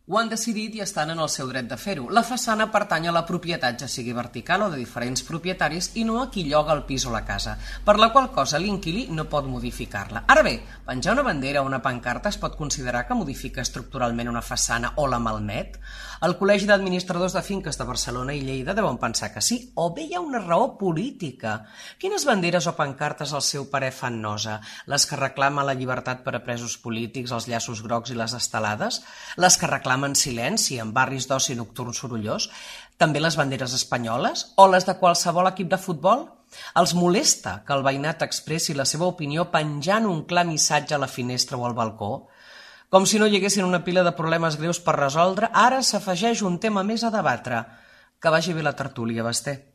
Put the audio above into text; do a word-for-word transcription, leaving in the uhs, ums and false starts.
Ho han decidit i estan en el seu dret de fer-ho. La façana pertany a la propietat, ja sigui vertical o de diferents propietaris, i no a qui lloga el pis o la casa, per la qual cosa l'inquilí no pot modificar-la. Ara bé, penjar una bandera o una pancarta es pot considerar que modifica estructuralment una façana o la malmet? El Col·legi d'Administradors de Finques de Barcelona i Lleida deuen pensar que sí, o bé hi ha una raó política. Quines banderes o pancartes al seu parer fan nosa? Les que reclamen la llibertat per a presos polítics, els llaços grocs i les estelades? Les que reclamen en silenci en barris d'oci nocturn sorollós? També les banderes espanyoles? O les de qualsevol equip de futbol? Els molesta que el veïnat expressi la seva opinió penjant un clar missatge a la finestra o al balcó? Com si no hi haguessin una pila de problemes greus per resoldre, ara s'afegeix un tema més a debatre. Que vagi bé la tertúlia, Basté.